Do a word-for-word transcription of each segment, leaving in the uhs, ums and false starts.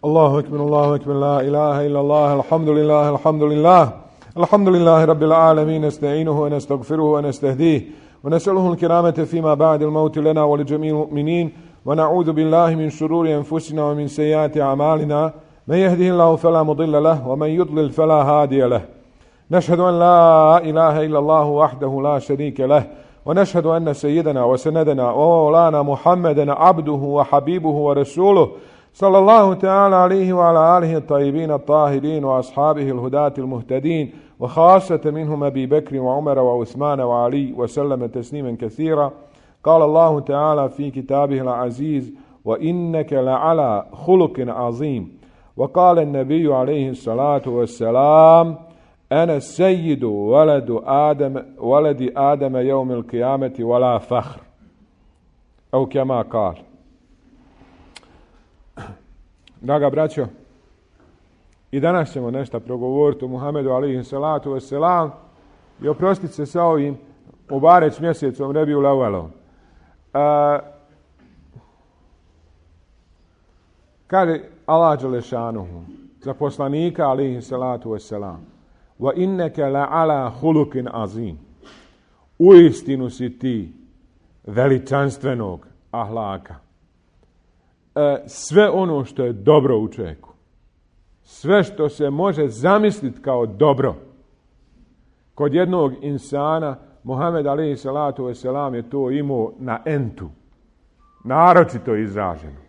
Allahu ekber, Allahu ekber, la ilaha illa Allah, alhamdulillah, alhamdulillah, alhamdulillah rabbil alamin, nasta'inuhu wa nastaghfiruhu wa nastahdihi wa nas'aluhu al-kiramata fima ba'da al-maut lana wa li jami'il mu'minin wa na'udhu billahi min shururi anfusina wa min sayyiati a'malina man yahdihillahu fala mudilla lahu wa man yudlil fala hadiya lahu. نشهد أن لا إله إلا الله وحده لا شريك له ونشهد أن سيدنا وسندنا ومولانا محمدا عبده وحبيبه ورسوله صلى الله تعالى عليه وعلى آله الطيبين الطاهرين وأصحابه الهداة المهتدين وخاصة منهم أبي بكر وعمر وعثمان وعلي وسلم تسليما كثيرا. قال الله تعالى في كتابه العزيز وإنك لعلى خلق عظيم. وقال النبي عليه الصلاة والسلام أنا السيد ولد آدم ولد آدم يوم القيامة ولا فخر أو كما قال. Draga braćo, i danas ćemo nešto progovoriti o Muhammedu alejhi salatu vesselam i oprostiti se sa ovim Mubarek mjesecom Rebiul Awwalom. Kaže Allah dželešanuhu za poslanika alejhi salatu vesselam: wa innaka la'ala khuluqin azim. Uistinu si ti veličanstvenog ahlaka. E, sve ono što je dobro u čovjeku, sve što se može zamisliti kao dobro, kod jednog insana, Muhammed alejhi salatu vesselam je to imao na entu, naročito izraženo.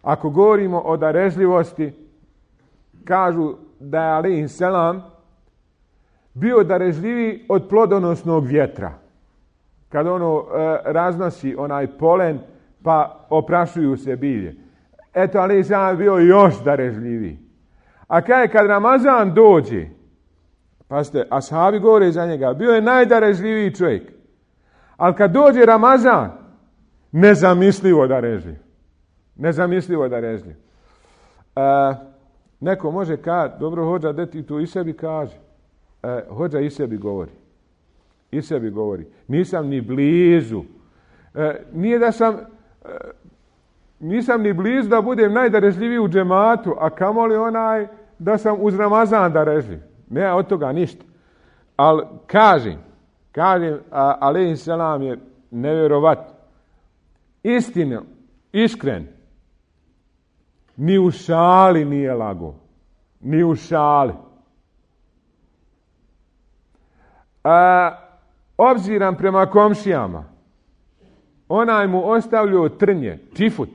Ako govorimo o darežljivosti, kažu da je alejhi selam bio darežljiviji od plodonosnog vjetra. Kad ono e, raznosi onaj polen, pa oprašuju se bilje. Eto, ali sam je bio još darežljiviji. A kaj kad Ramazan dođe, pazite, ashabi govore za njega, bio je najdarežljiviji čovjek. Ali kad dođe Ramazan, nezamislivo darežljiv. Nezamislivo darežljiv. E, neko može kad, dobro hođa, da ti tu i sebi kaže. E, hođa i sebi govori. I sebi govori. Nisam ni blizu. E, nije da sam... Nisam ni blizu da budem najdarežljiviji u džematu, a kamoli onaj da sam uz Ramazan darežljiv. Ne od toga ništa. Ali kažem, kažem, alejhi selam je nevjerovat. Istino, iskren, ni u šali nije lago. Ni u šali. A, obziram prema komšijama, onaj mu ostavljao trnje, čifut,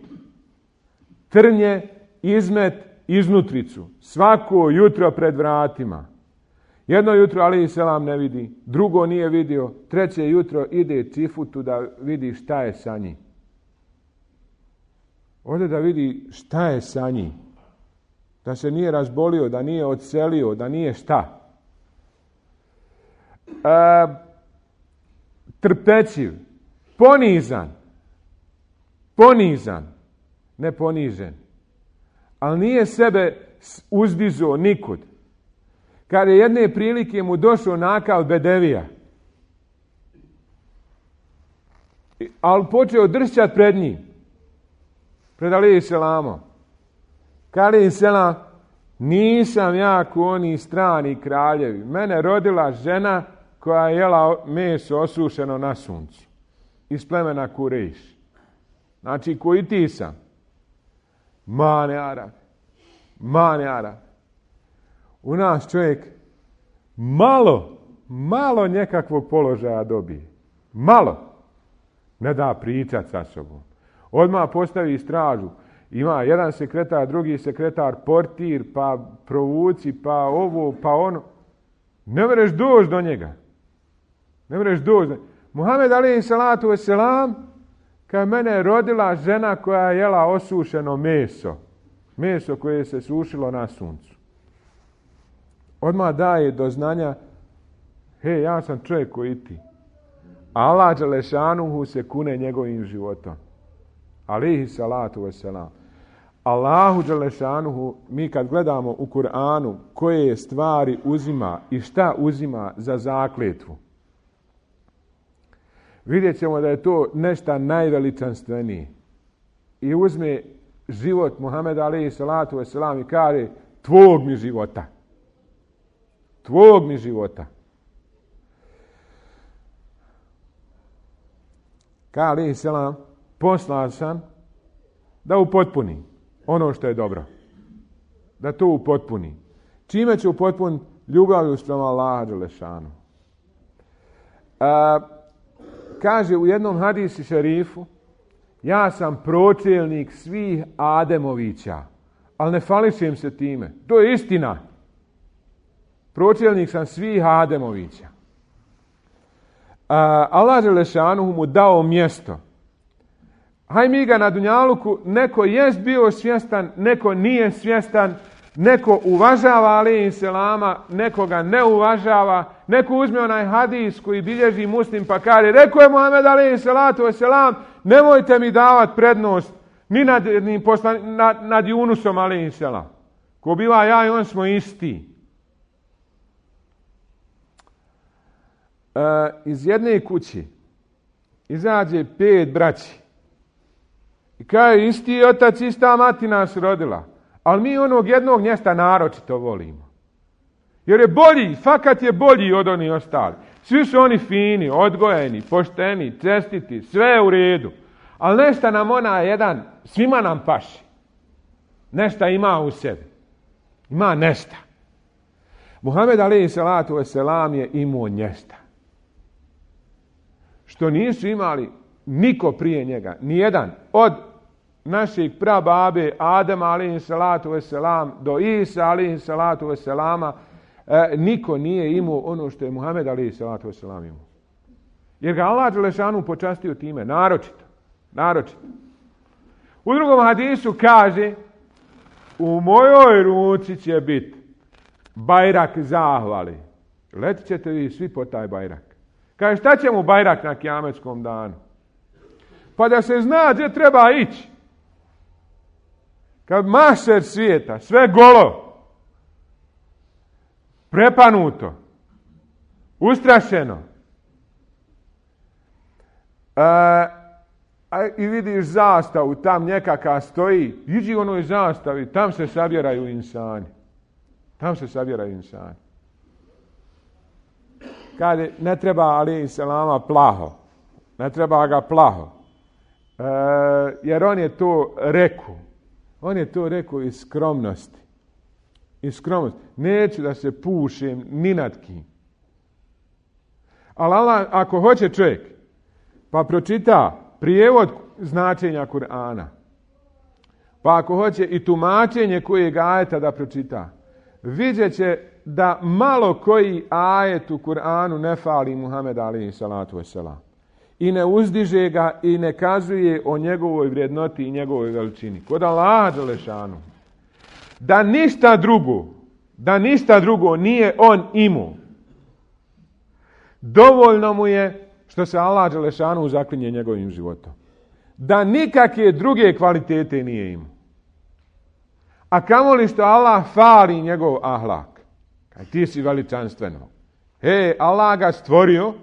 trnje, izmet, iznutricu, svako jutro pred vratima. Jedno jutro alejhi selam ne vidi, drugo nije vidio, treće jutro ide čifutu da vidi šta je sa njim. Ode da vidi šta je sa njim. Da se nije razbolio, da nije odselio, da nije šta. E, trpećiv. Ponizan, ponizan, ne ponižen, ali nije sebe uzdizo nikud. Kad je jedne prilike mu došao nakal bedevija, ali počeo dršćat pred njim, pred alejhi selamom. Kad alejhi selam, nisam ja ko oni strani kraljevi, mene rodila žena koja je jela meso osušeno na suncu. Iz plemena Kurejš. Znači, koji ti sam? Mane Arab. Mane Arab. U nas čovjek malo, malo nekakvog položaja dobije. Malo. Ne da pričat sa sobom. Odmah postavi stražu. Ima jedan sekretar, drugi sekretar, portir, pa provuci, pa ovo, pa ono. Ne mereš doći do njega. Ne mereš doći do njega. Muhammed alejhi salatu vesselam, kad mene je rodila žena koja je jela osušeno meso. Meso koje se sušilo na suncu. Odmah daje do znanja, he, ja sam čovjek koji ti. Allah dželešanuhu se kune njegovim životom. Alejhi salatu vesselam. Allahu dželešanuhu, mi kad gledamo u Kur'anu koje stvari uzima i šta uzima za zakletvu, vidjet ćemo da je to nešto najveličanstvenije. I uzme život Muhameda alejhi salatu vesselam i kaže tvog mi života. Tvog mi života. Kaže alejhi selam, poslan sam da upotpuni ono što je dobro. Da to upotpuni. Čime će upotpuniti? Ljubavlju prema Allaha dželešanu. Kaže u jednom hadisi šerifu, ja sam pročelnik svih Ademovića, ali ne fališem se time. To je istina. Pročelnik sam svih Ademovića. Allah dželešanu mu dao mjesto. Haj mi ga na dunjaluku, neko jest bio svjestan, neko nije svjestan, neko uvažava alejhi selama, neko ga ne uvažava, neko uzme onaj hadis koji bilježi Muslim pa kaže, rekao je Muhammed alejhi salatu vesselam, nemojte mi davati prednost ni nad, ni poslan, nad, nad Junusom alejhi selam. Ko biva ja i on smo isti. E, iz jedne kući izađe pet braći. I kaže, isti otac, ista mati nas rodila. Ali mi onog jednog mjesta naročito volimo. Jer je bolji, fakat je bolji od onih ostali. Svi su oni fini, odgojeni, pošteni, čestiti, sve je u redu. Ali nešto nam ona jedan, svima nam paši. Nešto ima u sebi. Ima nešto. Muhammed alejhi salatu vesselam je imao nešto. Što nisu imali niko prije njega, nijedan od naših prababe Adama alejhi salatu vesselam do Isa alejhi salatu vesselama, e, niko nije imao ono što je Muhammed alejhi salatu vesselam imao. Jer ga Allah dželešanu počastio time, naročito, naročito. U drugom hadisu kaže, u mojoj ruci će biti bajrak zahvali. Letit ćete vi svi po taj bajrak. Kaže, šta će mu bajrak na kijametskom danu? Pa da se zna gdje treba ići. Kad mašer svijeta, sve golo, prepanuto, ustrašeno, e, a, i vidiš zastavu, tam nekaka stoji, iđi onoj zastavi, tam se sabjeraju insani. Tam se sabjeraju insani. Kaže, ne treba alejhi selama plaho. Ne treba ga plaho. E, jer on je to rekao. On je to rekao iz skromnosti. Iz skromnosti. Neću da se pušem ni nad kim. Ali Allah, ako hoće čovjek, pa pročita prijevod značenja Kur'ana, pa ako hoće i tumačenje kojeg ajeta da pročita, vidjet će da malo koji ajet u Kur'anu ne fali Muhammed alejhi salatu vesselam. I ne uzdiže ga i ne kazuje o njegovoj vrijednoti i njegovoj veličini. Kod Allaha dželešanu. Da ništa drugo, da ništa drugo nije on imao. Dovoljno mu je što se Allah dželešanu zaklinje njegovim životom. Da nikakve druge kvalitete nije imao. A kamoli što Allah fali njegov ahlak. Kaj ti si veličanstveno. He, Allah ga stvorio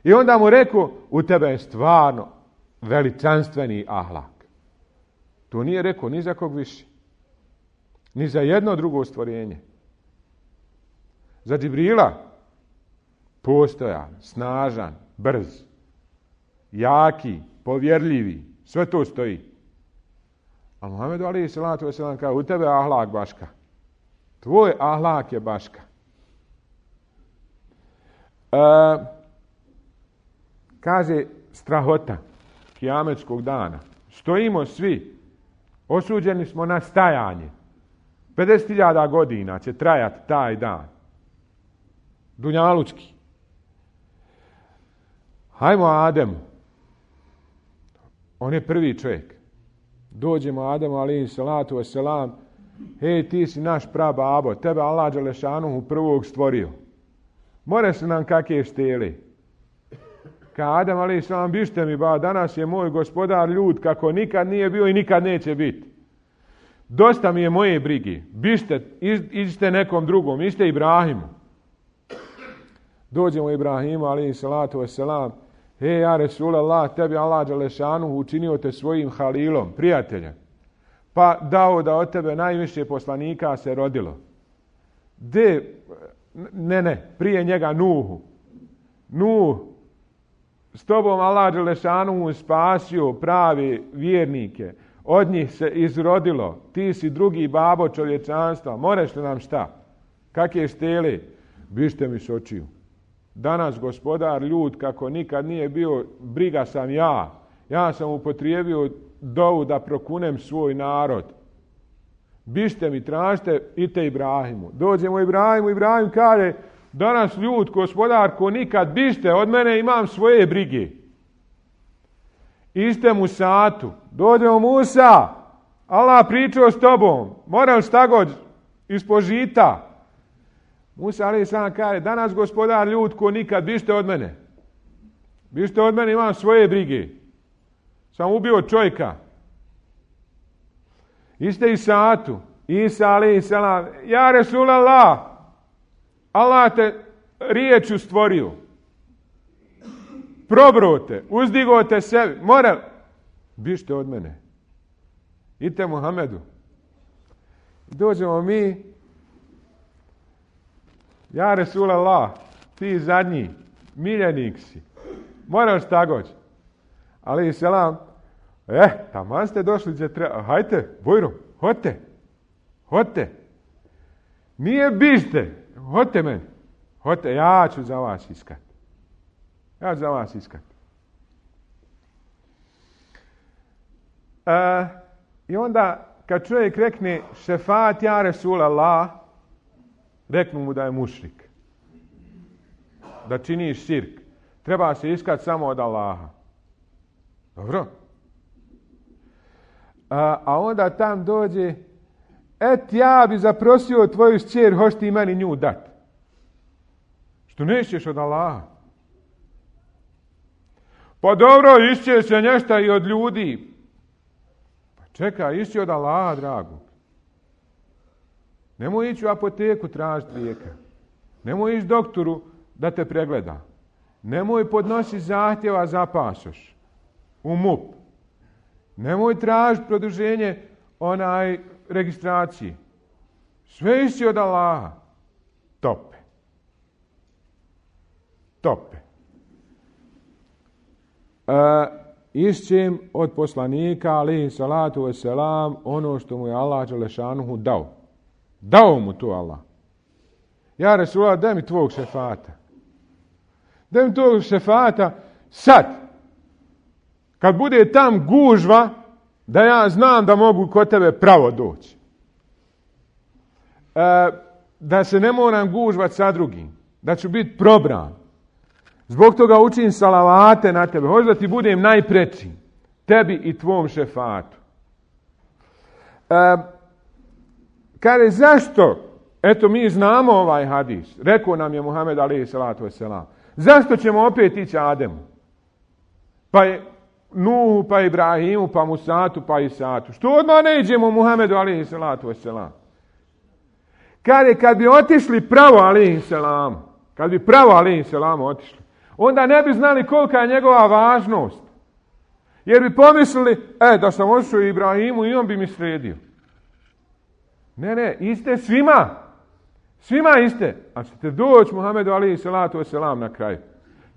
i onda mu rekao, u tebe je stvarno veličanstveni ahlak. To nije rekao ni za kog više. Ni za jedno drugo stvorenje. Za Džibrila postojan, snažan, brz, jaki, povjerljivi, sve to stoji. A Muhammedu alejhi salatu vesselam kaže, u tebe je ahlak baška. Tvoj ahlak je baška. E, kaže strahota kijametskog dana. Stojimo svi. Osuđeni smo na stajanje. pedeset hiljada godina će trajati taj dan. Dunjalučki. Hajmo Ademu. On je prvi čovjek. Dođemo Ademu alejhi salatu vesselam. Hej, ti si naš prababo. Tebe Allah dželešanuhu prvog stvorio. More su nam kakve šteli. Ka Adem alejhi selam, bište mi ba, danas je moj gospodar ljud kako nikad nije bio i nikad neće biti. Dosta mi je moje brige. Bište, iđite nekom drugom, ište Ibrahimu. Dođemo Ibrahimu alejhi salatu vesselam. Hej, ja Resulallah, tebi Allah dželešanuhu učinio te svojim halilom, prijateljem. Pa dao da od tebe najviše poslanika se rodilo. De, ne, ne, prije njega Nuhu. Nuh, s tobom Allah Đelešanu spasio pravi vjernike. Od njih se izrodilo. Ti si drugi babo čovječanstva. Moreš li nam šta? Kakve štele? Bište mi s očiju. Danas gospodar ljud kako nikad nije bio, briga sam ja. Ja sam upotrijebio dovu da prokunem svoj narod. Bište mi, tražite, ite Ibrahimu. Dođemo Ibrahimu, Ibrahim kaže, danas ljud, gospodar, ko nikad, bište, od mene imam svoje brige. Iste Musatu. Dođemo Musa, Allah pričao s tobom, moram šta god ispod žita. Musa alejhi selam kaže, danas gospodar ljud, ko nikad, bište od mene. Bište od mene, imam svoje brige. Sam ubio čovjeka. Iste Isatu. Isa alejhi selam, ja Resulallah, Allah te riječu stvorio. Probro te, uzdigo te sebi. Mora, bište od mene. Idite Muhammedu. Dođemo mi, ja Resulallah, ti zadnji, miljenik si. Moraš tagoć. Alejhi selam, eh, taman ste došli gdje treba. Hajte, bujrum, hodite. Hodite. Nije bište. Hodite meni. Hodite, ja ću za vas iskat. Ja ću za vas iskat. E, I onda, kad čovjek rekne šefat ja Resulallah, reknu mu da je mušrik. Da čini širk. Treba se iskat samo od Allaha. Dobro? A, a onda tam dođe, et ja bi zaprosio tvoju šćer, hoš ti meni nju dat. Što nećeš od Allaha? Pa dobro, išće se nešto i od ljudi. Pa čekaj, išće od Allaha, drago. Nemoj ići u apoteku tražiti lijeka. Nemoj ići doktoru da te pregleda. Nemoj podnositi zahtjeva za pasoš u M U P. Nemoj tražiti produženje onaj registracije. Sve išći od Allaha. Tope. Tope. E, išćem od poslanika, alejhi salatu vesselam, ono što mu je Allah dželešanuhu dao. Dao mu to Allah. Ja Resulullah, daj mi tvog šefata. Daj mi tvog šefata sad. Kad bude tam gužva, da ja znam da mogu kod tebe pravo doći. E, da se ne moram gužvat sa drugim. Da ću biti probran. Zbog toga učim salavate na tebe. Hoću da ti budem najpreći. Tebi i tvom šefatu. E, Kaže, zašto? Eto, mi znamo ovaj hadis. Rekao nam je Muhammed alejhi salatu vesselam. Zašto ćemo opet ići Ademu? Pa je Nuhu, pa Ibrahimu, pa Musatu, pa Isatu. Što odmah ne idemo Muhammedu alejhi salatu vesselam? Kaže, kad bi otišli pravo alejhi selam, kad bi pravo alejhi selam otišli, onda ne bi znali kolika je njegova važnost. Jer bi pomislili, e, da sam otišao Ibrahimu i on bi mi sredio. Ne, ne, iste svima. Svima iste. A ćete doći Muhammedu alejhi salatu vesselam na kraju.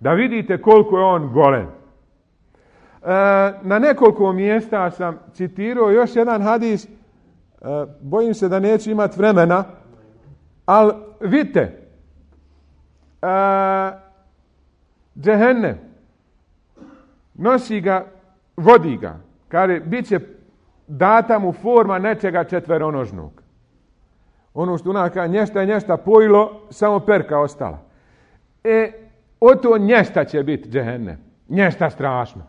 Da vidite koliko je on golem. E, na nekoliko mjesta sam citirao još jedan hadis. E, bojim se da neću imati vremena. Ali vidite. E, Džehennem. Nosi ga, vodi ga. Kaže, bit će data mu forma nečega četveronožnog. Ono što onaka nješta je nješta pojilo, samo perka ostala. E, o to nješta će biti Džehennem. Nješta strašno.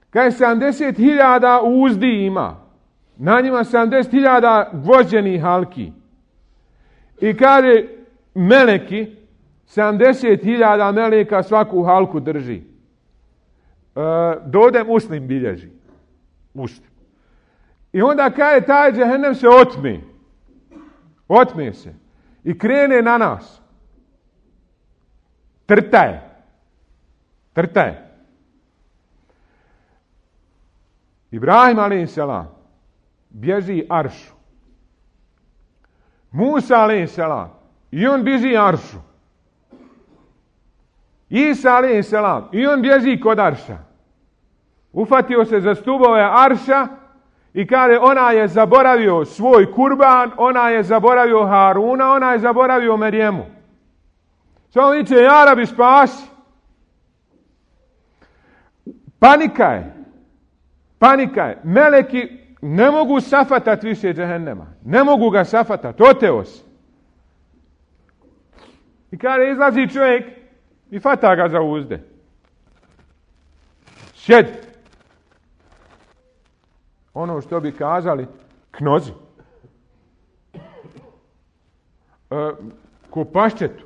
Kaj sedamdeset hiljada uzdi ima. Na njima sedamdeset hiljada gvožđenih halki. I kaže meleki, sedamdeset hiljada meleka svaku halku drži. E, dode Muslim bilježi. Muslim. I onda kaže taj Džehennem se otme. Otme se. I krene na nas. Trta je. Trta je. Ibrahim alejhi selam bježi aršu. Musa alejhi selam i on bježi aršu. Isa alejhi selam i on bježi kod arša. Ufatio se za stubove arša i kaže ona je zaboravio svoj kurban, ona je zaboravio Haruna, ona je zaboravio Merijemu. Samo viče, ja Rabi spasi. Panika je. Panika je. Meleki ne mogu safatat više džehennema. Ne mogu ga safatat. Oteo se. I kaže, izlazi čovjek i fata ga za uzde. Sjedi. Ono što bi kazali, knozi. E, ko paščetu.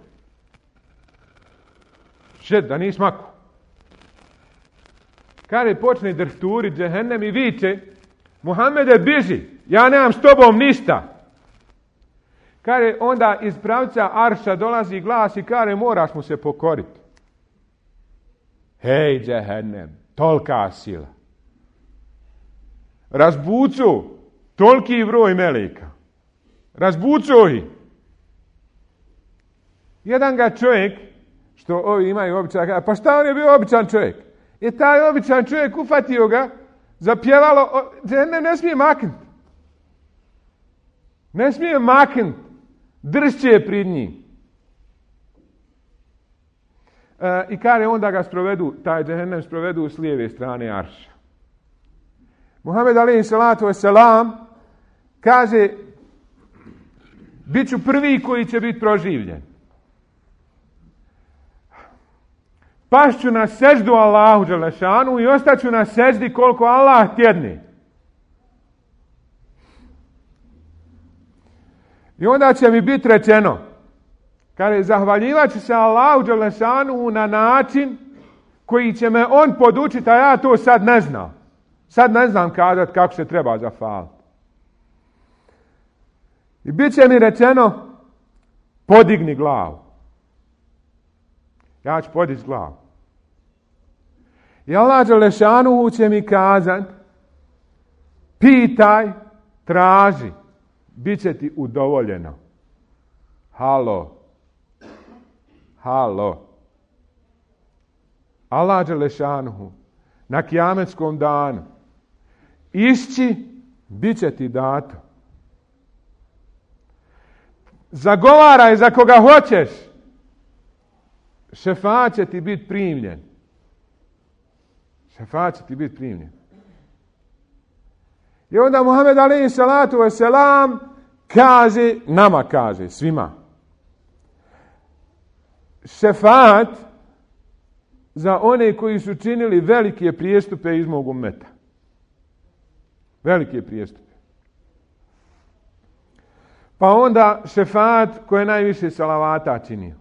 Sjedi, da nis maku. Kaže, počne drhturi džehennem i viče, Muhammede, biži, ja nemam s tobom ništa. Kaže, onda iz pravca arša dolazi glas i kaže, moraš mu se pokoriti. Hej, džehennem, tolika sila. Razbucu toliki broj meleka. Razbucu ih. Jedan ga čovjek, što ovi imaju običaj, pa šta on je bio običan čovjek? I taj običan čovjek ufatio ga, zapjevalo, ne, ne smije maknut. Ne smije maknut. Dršće pred njim. E, I kaže onda ga sprovedu, taj džehennem sprovedu s lijeve strane arša. Muhammed alejhi salatu vesselam kaže, bit ću prvi koji će biti proživljen. Pašću na seždu Allahu dželešanu i ostaću na seždi koliko Allah tjedne. I onda će mi biti rečeno, kaže, zahvaljivat ću se Allahu dželešanu na način koji će me on podučiti, a ja to sad ne znam. Sad ne znam kazati kako se treba zahvaliti. I bit će mi rečeno, podigni glavu. Ja ću podići glavu. I Allah dželešanu će mi kazati, pitaj, traži, bit će ti udovoljeno. Halo. Halo. Allah dželešanu na kijametskom danu išći, bit će ti dato. Zagovaraj za koga hoćeš, šefaat će ti biti primljen. Šefaat će ti biti primljen. I onda Muhammed alejhi salatu vesselam kaže, nama kaže, svima, šefaat za one koji su činili velike prijestupe iz mog ummeta. Velike prijestupe. Pa onda šefaat koji je najviše salavata činio.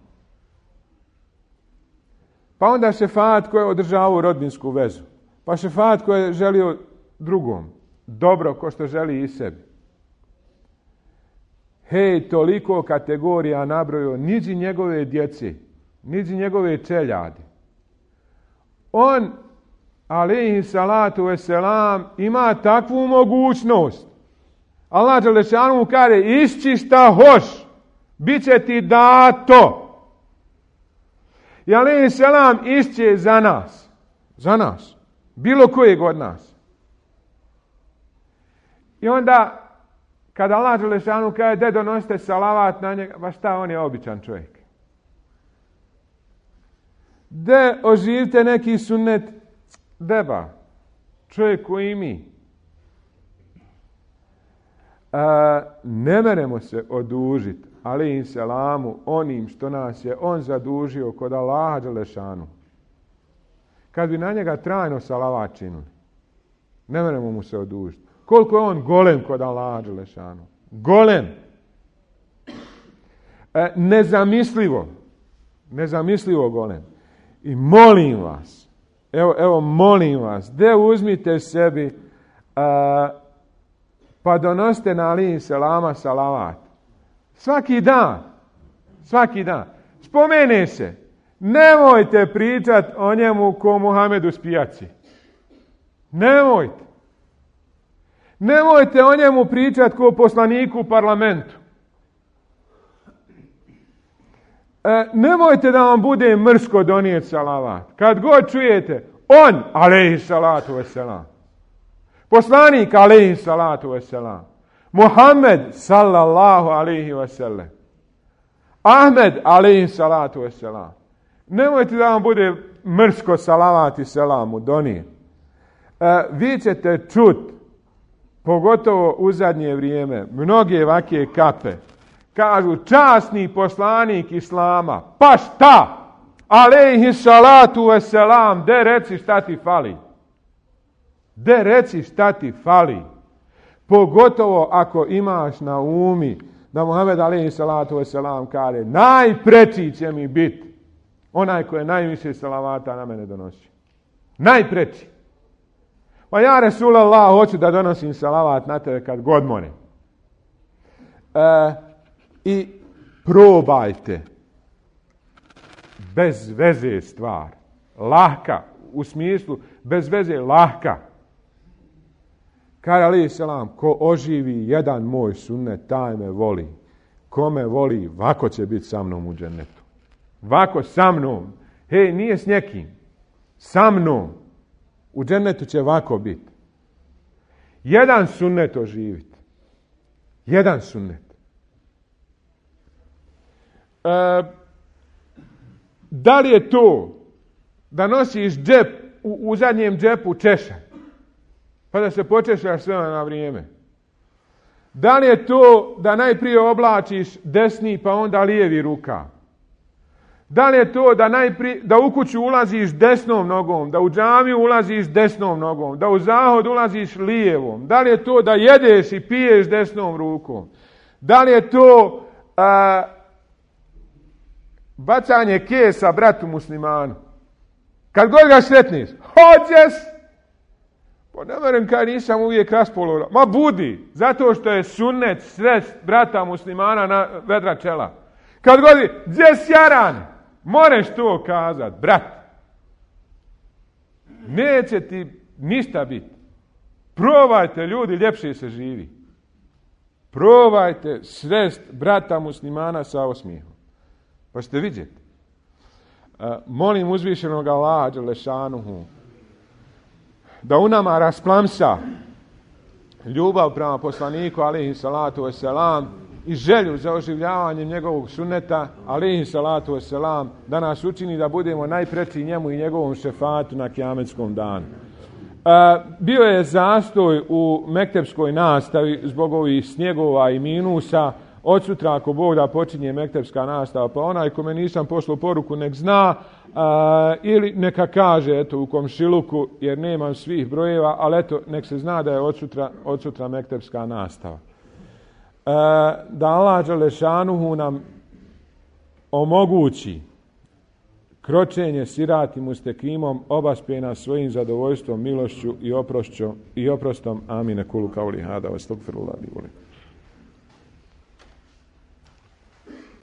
Pa onda šefaat koji je održavao rodbinsku vezu. Pa šefaat koji je želio drugom dobro ko što želi i sebi. Hej, toliko kategorija nabrojio, niđi njegove djece, niđi njegove čeljade. On, alejhi salatu vesselam, ima takvu mogućnost. Allah dželešanu mu kaže, išći šta hoš, bit će ti dato. I alejhi selam išće za nas. Za nas. Bilo kojeg od nas. I onda, kada Allah dželešanu kaže, de donosite salavat na njega, ba šta, on je običan čovjek. De oživite neki sunnet, deba, čovjek koji mi. A, ne meremo se odužiti, alejhi selamu, onim što nas je on zadužio kod Allaha dželešanu. Kad bi na njega trajno salavat činuli, ne meremo mu se odužiti. Koliko je on golem kod Allaha dželešanu. Golem. E, nezamislivo. Nezamislivo golem. I molim vas, evo, evo molim vas, de uzmite sebi, a, pa donosite na alejhi selama salavat. Svaki dan. Svaki dan. Spomene se. Nemojte pričat o njemu ko Muhamedu s pijaci. Nemojte. Nemojte o njemu pričati kao poslaniku u parlamentu. E, nemojte da vam bude mrsko donijeti salavat. Kad god čujete, on, alejhi salatu vesselam. Poslanik, alejhi salatu vesselam. Muhammed, sallallahu alejhi vesselam. Ahmed, alejhi salatu vesselam. Nemojte da vam bude mrsko salavat i selamu donijeti. E, vi ćete čut, pogotovo u zadnje vrijeme, mnoge vake kape, kažu časni poslanik Islama, pa šta? Alejhi salatu vesselam, de reci šta ti fali. De reci šta ti fali. Pogotovo ako imaš na umi da Muhammed alejhi salatu vesselam kaže najpreči će mi biti onaj koji je najviše salavata na mene donosi. Najpreči. Pa ja Resulallah hoću da donosim salavat na tebe kad god more. E, I probajte bez veze stvar. Lahka. U smislu bez veze lahka. Kaže alejhi selam, ko oživi jedan moj sunnet, taj me voli. Ko me voli, vako će biti sa mnom u džennetu. Vako sa mnom. Hej, nije s nekim. Sa mnom. U džennetu će vako biti. Jedan sunnet oživiti. Jedan sunnet. E, da li je to da nosiš džep, u, u zadnjem džepu češaj, pa da se počešaš sve na vrijeme? Da li je to da najprije oblačiš desni pa onda lijevi ruka? Da li je to da najprije, da u kuću ulaziš desnom nogom, da u džamiju ulaziš desnom nogom, da u zahod ulaziš lijevom? Da li je to da jedeš i piješ desnom rukom? Da li je to a, bacanje kesa bratu muslimanu? Kad god ga sretniš, hoćeš? Pa ne verujem kad nisam uvijek raspoložen. Ma budi, zato što je sunnet srest brata muslimana na vedra čela. Kad god je, gdje sjaran? Moreš to kazat, brat. Neće ti ništa biti. Probajte, ljudi, ljepše se živi. Probajte srest brata muslimana sa osmijehom. Pa ćete vidjeti. Uh, molim uzvišenog Allaha dželešanuhu da u nama rasplamsa ljubav prema poslaniku alejhi salatu vesselam i želju za oživljavanjem njegovog sunneta alejhi salatu vesselam, da nas učini da budemo najpreči njemu i njegovom šefatu na kijametskom danu. Uh, bio je zastoj u mektepskoj nastavi zbog ovih snjegova i minusa. Od sutra, ako Bog da, počinje mektepska nastava, pa onaj kome nisam poslao poruku nek zna, a, ili neka kaže eto u komšiluku, jer nemam svih brojeva, ali eto nek se zna da je od sutra, od sutra mektepska nastava. A, da Allah dželešanuhu nam omogući kročenje siratim mustekimom, obaspe nas svojim zadovoljstvom, milošću i oprošću i oprostom. Amine kulu kauli hada, astagfirullah li volim.